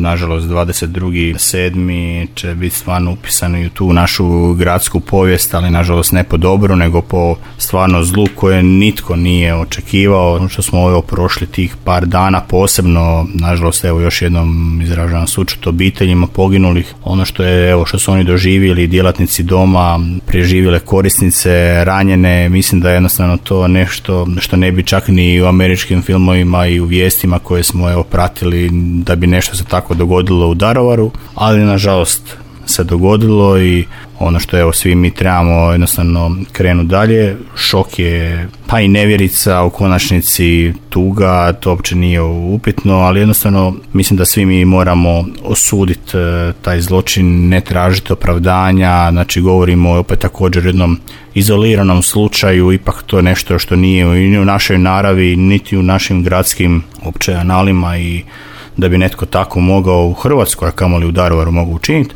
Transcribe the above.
nažalost 22.7. će biti stvarno upisani u tu našu gradsku povijest, ali nažalost ne po dobru, nego po stvarno zlu koje nitko nije očekivao. Što smo ovo prošli tih par dana, posebno, nažalost, evo još jednom izražavam sućut obiteljima poginulih. Ono što je, evo, što su oni doživjeli, djelatnici doma, preživjele korisnice, ranjene, mislim da je jednostavno to nešto što ne bi čak ni u američkim filmovima i u vijestima koje smo evo pratili da bi nešto se tako dogodilo u Daruvaru, ali nažalost se dogodilo i ono što evo svi mi trebamo jednostavno krenuti dalje. Šok je, pa i nevjerica, u konačnici tuga, to uopće nije upitno, ali jednostavno mislim da svi mi moramo osuditi taj zločin, ne tražiti opravdanja, znači govorimo opet također jednom izoliranom slučaju, ipak to je nešto što nije ni u našoj naravi, niti u našim gradskim opće analima i da bi netko tako mogao u Hrvatskoj, a kamoli u Daruvaru mogu učiniti.